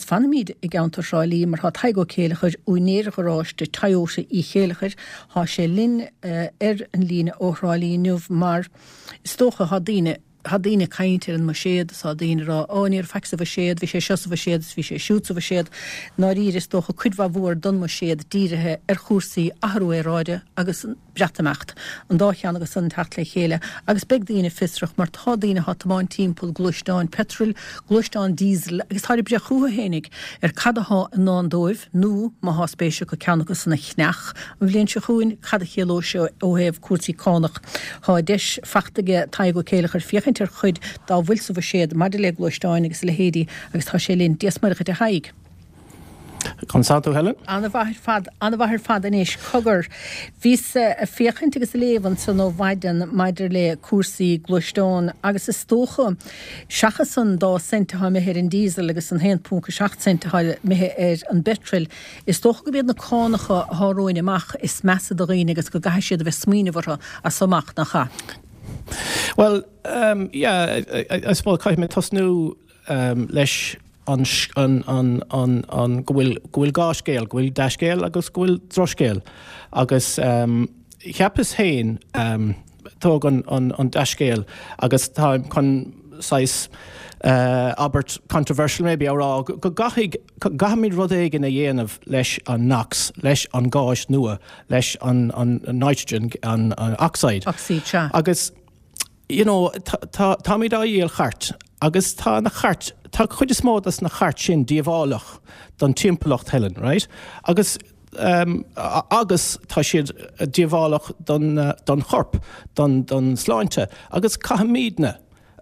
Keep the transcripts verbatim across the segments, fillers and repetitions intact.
fanfaimid i gceantar Thrá Lí mar tá Tadhg Ó Céileachair, úinéir gharáiste Toyota Uí Chéileachair, tá sé linn ar an líne ó Thrá Lí inniu mar is dócha tá daoine Tá daoine ag caint ar an mbuiséad is tá daoine ag rá, Ó, ní raibh faic sa bhuiséad, bhí sé seo sa bhuiséad is bhí sé siúd sa bhuiséad. I ndáiríre, is dócha cuid mhaith mhór don mbuiséad dírithe ar chúrsaí athrú aeráide agus an Breatimeacht, an dá cheann acu san ag teacht le chéile agus beidh daoine fiosrach mar tá daoine atá ag tiomáint timpeall gluaisteáin peitril, gluaisteáin diesel agus táid ag breith chucu fhéinig ar cad athá i ndán dóibh nó má thá spéis acu ceann acu san a cheannach an bhliain seo chugainn, cad a chiallóidh sé ó thaobh cúrsaí cánach. Tá deis fachta aige Tadhg Ó Céileachair féachaint ar chuid dá bhfuil sa bhuiséad maidir le gluaisteáin agus a leithéidí agus tá sé linn. Dia 's Muire dhuit a Thaidhg. Conas tá tú, Helen? Ana-mhaith ar fad, ana-mhaith ar fad anois. Cogar, bhíos ag féachaint agus ag léamh ansan ó mhaidin maidir le cúrsaí gluaisteán agus is dócha, seachas an dá cent atá imithe ar an diesel agus an haon ponc a seacht cent atá imithe ar an bpeitreal, is dócha gurb iad na cánacha atá romhainn amach is measa do dhaoine agus go gcaithfidh siad a bheith ag smaoineamh orthu as so amach, nach ea? Bhuel, yeah, I suppose caithfidh mé tosnú leis an, an, an, an, an, go bhfuil, go bhfuil dhá scéal, go bhfuil dea-scéal agus go bhfuil drochscéal. Agus cheapas féin, tóg an, an, an dea-scéal agus táim chun saghas abairt controversial maybe a rá, go gcaithfidh, gcaithfimid rud éigin a dhéanamh leis an NOx, leis an gáis nua, leis an, an nitrogen, an, an oxide. Ocsaíd, sea. Agus you know, tá, táimid á dhíol chairt agus tá na chairt, tá cuid is mó des na chairt sin díobhálach don timpeallacht, Helen, right? Agus um, agus tá siad díobhálach don, don chorp, don, don sláinte, agus caithfimidne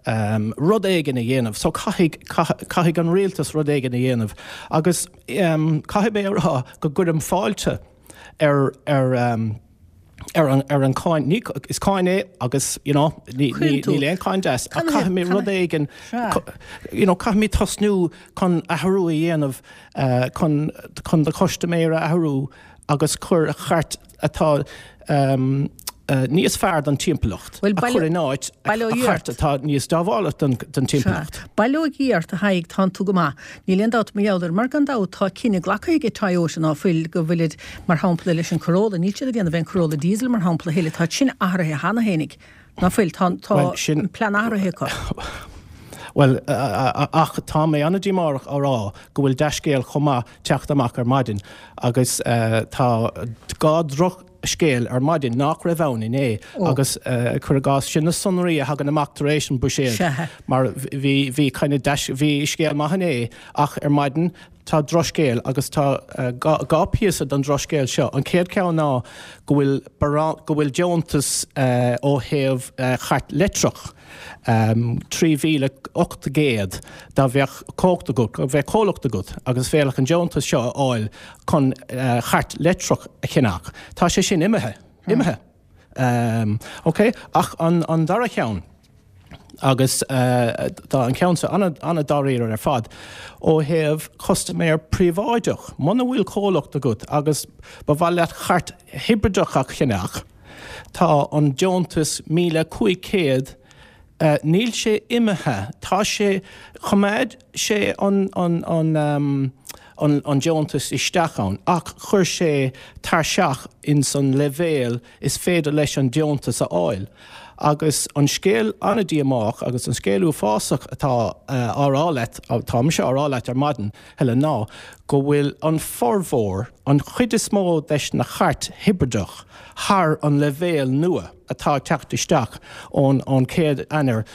um, rud éigin a dhéanamh, so caithfidh, caithfidh an rialtas rud éigin a dhéanamh. Agus um, caithfidh mé a rá go gcuirim fáilte ar, ar um, ar an, ar an cáin, ní, is cáin é agus, you know, ní, ní, níl aon cáin deas, ach caithfimid rud éigin, you know, caithfimid tosnú chun athrú a dhéanamh, uh, chun, chun do chustaiméir a athrú agus cur chairt atá um, uh, níos fearr don timpeallacht a chur in áit a chairt atá níos díobhálaí don, don timpeallacht. Bail ó Dhia ort a Thaidhg, tánn tú go maith. Níl aon dabht mar gheall air, mar gan dabht tá cinneadh glactha ag Toyota ná fuil go bhfuilid mar shampla leis an Corolla, níl siad ag déanamh aon Corolla diesel mar shampla a thuilleadh, tá sin athraithe cheana fhéinig, ná fuil, tá, tá an plean athraithe acu. Bhuel, ach tá mé an-díomách á rá go bhfuil dea-scéal chomh maith teacht amach ar maidin agus tá dhá drochscéal ar maidin nach raibh ann inné agus cuir i gcás sin na sonraí a thagann amach tar éis an buiséad mar bhí bhí kind of bhí scéal maith inné ach ar maidin tá drochscéal agus tá dhá píosa don drochscéal seo. An chéad ceann ná go bhfuil go bhfuil deontas ó thaobh chairt leictreach trí mhíle ocht gcéad dá bheadh comhlacht agat, bheadh comhlacht agat agus féadfadh an deontas seo a fháil chun chairt leictreach a cheannach. Tá sé sin imithe. Imithe. Ok, ach an an dara cheann, agus tá an ceann seo an-dáiríre ar fad, ó thaobh custaiméir príobháideach, muna bhfuil comhlacht agat agus ba mhaith leat chairt hibrideach a cheannach, tá an deontas míle cúig chéad, níl sé imithe, tá sé, choimeád sé an, an, an, an, an deontas isteach ann ach chuir sé tairseach ins an leibhéal is féidir leis an deontas a fháil. Agus an scéal an-díomách agus an scéal uafásach atá á rá leat, atá mise á rá leat ar maidin, Helen, ná go bhfuil an formhór, an chuid is mó des na chairt hibrideach thar an leibhéal nua atá ag teacht isteach ón ón chéad Eanáir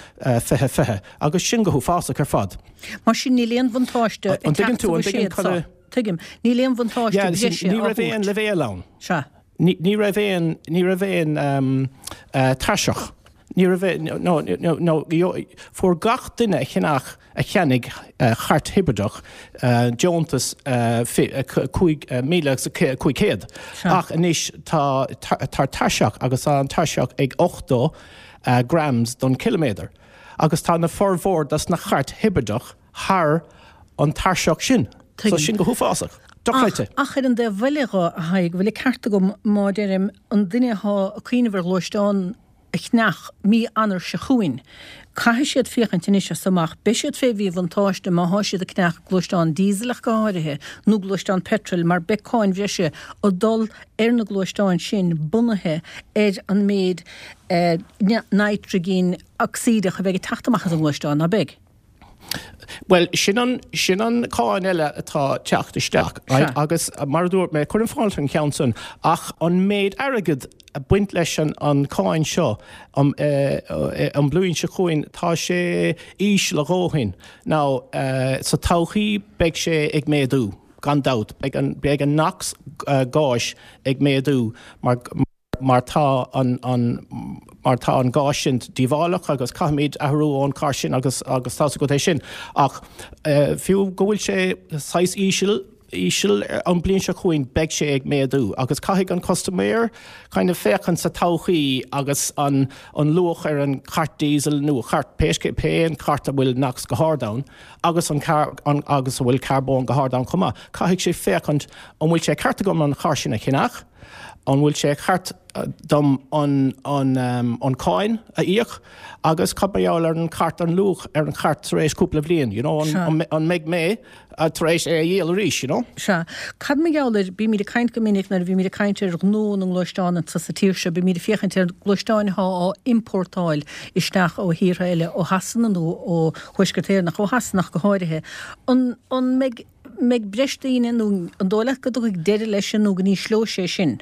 fiche fiche, agus sin go huafásach ar fad. Mar sin níl aon bhuntáiste ag teacht sa bhuiséad seo. Tuigim. Níl aon bhuntáiste breise á thabhairt. Ní raibh aon leibhéal ann. Sea. Ní raibh aon, ní raibh aon tairseach. Ní raibh aon, no, no, no, fuair gach duine a cheannach, a cheannaigh chairt hibrideach deontas cúig míle agus cúig chéad. Ach anois tá, tá tairseach agus tá an tairseach ag ochtó grams don chiliméadar. Agus tá na formhór dos na chairt hibrideach thar an tairseach sin. So sin go huafásach. Dochreidte. Ach ar an dtaobh eile dho, a Thaidhg, bhfuil an ceart agam má deirim, an duine athá ag cuimhneamh ar ghluaisteán a cheannach mí Eanáir seo chugainn, caithfidh siad féachaint anois as amach, beidh siad fé mhíbhuntáiste má thá siad ag ceannach gluaisteán díosal ach go háirithe, nó gluaisteán peitril mar beidh cáin bhreise ag dul ar na gluaisteáin sin bunaithe ar an méid nitrigin ocsaídeach a bheidh ag teacht amach as an ngluaisteán, ná beidh? Bhuel, sin an, sin an cáin eile atá teacht isteach, right? Agus mar a dúirt mé, cuirim fáilte an ceann san, ach an méid airgead a baint leis an, an cáin seo um, eh, an bliain seo chugainn, tá sé íseal a dhóthain. Now, eh, sa todhchaí beidh sé ag méadú, gan dabht. Beidh an, beidh an NOx uh, gáis ag méadú mar, mar tá an, an, mar tá an gás sin díobhálach agus caithfimid athrú ón carr sin agus agus tá go é sin. Ach uh, fiú go bhfuil sé saghas íseal íseal an bliain seo chugainn beidh sé ag méadú agus caithfidh an custaiméir kind of féachaint sa todhchaí agus an, an luach ar an cairt diesel nó chairt pé pé an cairt a bhfuil NOx go hard ann agus an, car, an agus a bhfuil carbón go hard ann chomh maith. Caithfidh sé féachaint an bhfuil sé ceart agam an charr sin a cheannach, an bhfuil sé ceart dom an, an, um, an cáin a íoc agus cad mar gheall ar an cairt an luach ar an chairt tar éis cúpla bliain, you know, an, an, an mbeidh mé uh, tar éis é a dhíol arís, you know? Sea. Cad mar gheall ar, bímid ag caint go minic nuair a bhímid ag caint ar ghnó na ngluaisteán anseo sa tír seo, bímid ag féachaint ar gluaisteáin atá á importáil isteach ó thíortha eile, ó Shasana nó ó Thuaisceart Éireann, ó Shasana go háirithe. An, an mbeidh, mbeidh breis daoine nó an dóigh leat go dtiocfaidh deireadh leis sin nó go n-ísleoidh sé sin?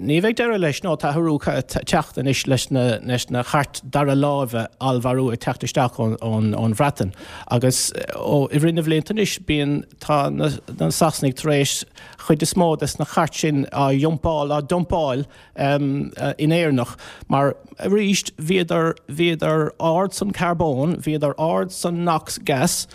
Ní bheidh deireadh leis nó tá athrú teacht anois leis na, leis na chairt dara láimhe allmhairiú ag teacht isteach ón, ón, ón Bhreatain. Agus ó i rith na bhlianta anois bíonn tá na, na Sasanaigh tar éis chuid is mó des na chairt sin á iompáil á dumpáil um, uh, in Éireannach. Mar arís bhíodar bhíodar ard san carbón, bhíodar ard san NOx gas,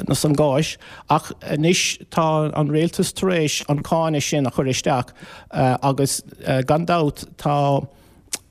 na san gáis, ach anois tá an rialtas tar éis an cáin sin a chur isteach uh, agus uh, gan dabht tá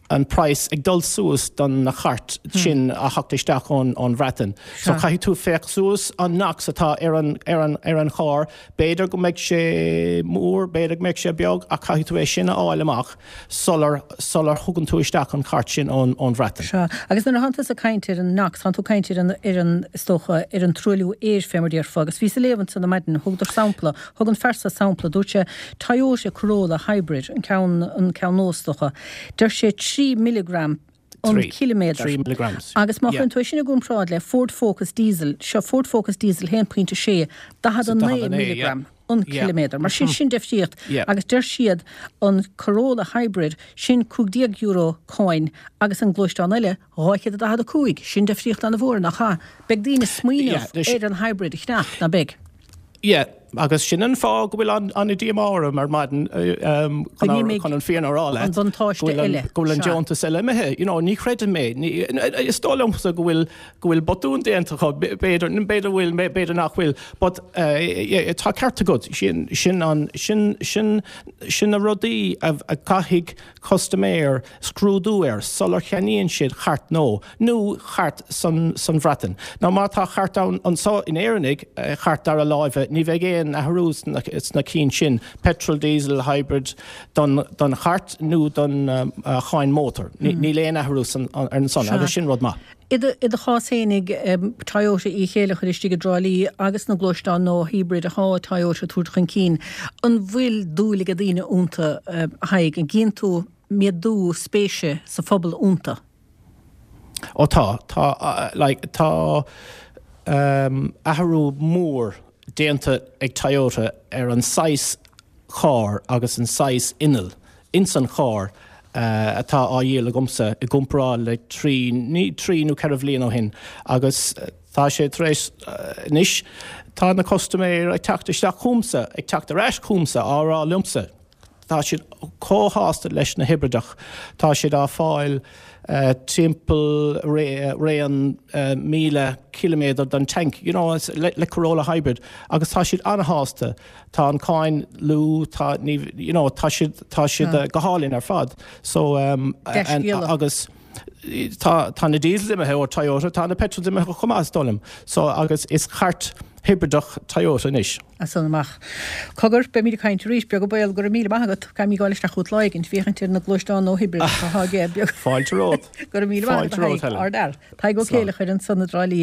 an price ag dul suas don na chairt sin a theacht isteach ón ón Bhreatain. So caithfidh tú féach suas an NOx atá ar an ar an ar an charr, b'fhéidir go mbeidh sé mór, b'fhéidir go mbeidh sé beag ach caithfidh tú é sin a fháil amach sular sular thugann tú isteach an chairt sin ón ón Bhreatain. Sea. Agus nuair a thánn tusa ag caint ar an NOx, thánn tú ag caint ar an ar an is dócha ar an truailliú aeir fé mar déarfá, agus bhíos ag léamh ansan ar maidin, thugadar sampla, thug an fear seo sampla, dúirt sé Toyota Corolla Hybrid, an ceann an ceann nua is dócha. Deir sé trí milligram an ciliméadar. Trí milligrams. Agus má chuireann tú é sin i gcomparáid le Ford Focus Diesel, seo Ford Focus Diesel haon pointe sé, daichead a naoi milligram an ciliméadar. Mar sin sin difríocht agus deir siad an Corolla Hybrid sin cúig déag euro cáin agus an gluaisteán eile dhá chéad a daichead a cúig. Sin difríocht an-mhór nach ea? Beidh daoine smaoineamh ar an hybrid a cheannach, ná beidh? Yeah, agus sin an fáth go bhfuil an an díomá orm ar maidin chun an fírinne a rá leat. An buntáiste eile. Go bhfuil an deontas eile imithe. You know, ní chreidim mé. Is dóigh liomsa go bhfuil go bhfuil botún déanta acu, b'fhéidir b'fhéidir bhfuil, b'fhéidir nach bhfuil, but uh, tá ceart agat sin sin an sin sin sin na rudaí a, a caithfidh custaiméir scrúdú air sular cheannaíonn siad chairt nó nó chairt san san Bhreatain. Now má tá chairt ann anseo in Éireannaigh chairt dara láimhe, ní bheidh aon athrú sna, sna cinn sin, petrol, diesel, hybrid don, don chairt nó don uh, cháin mótar. Mm. Níl aon athrú san, ar an son agus sin rud maith. I do chás fhéinig Toyota Uí Chéilleachair istigh i dTrá Lí agus na gluaisteáin nua hybrid atá Toyota tabhairt chun cinn, an bhfuil dúil ag daoine iontu a Thaidhg, an gcíonn tú méadú spéise sa phobal iontu? Ó tá, tá, like, tá um, athrú mór déanta ag Toyota ar an saghas carr agus an saghas inneall ins an charr uh, atá á dhíol agamsa i gcomparáid le trí, ní, trí nó ceithre bhliain ó shin agus tá sé tar éis uh, anois tá na custaiméir ag teacht isteach chugamsa, ag teacht ar ais chugamsa á rá liomsa. Tá siad chomh sásta leis na hibrideach, tá siad á fáil uh, timpeall raon uh, míle kilometer don tank, you know, le, le Corolla Hybrid, agus tá siad an-shásta. Tá an cáin lú, tá, ní, you know, tá siad, tá siad uh, go hálainn ar fad. So, um, and, agus tá, tá na diesel imithe ó Toyota, tá na petrol imithe chomh maith is dóigh liom. So agus is cairt hibrideach Toyota anois. As san amach. Cogar beimid ag caint arís beag an baol go raibh míle maith agat caithfidh mé gabháil isteach chugat lá éigin féachaint ar na gluaisteáin nua hibrideacha atá aige beag. Fáilte romhat. Go raibh míle maith agat Ardal. Tadhg Ó Céilleachair ansan i dTrá Lí.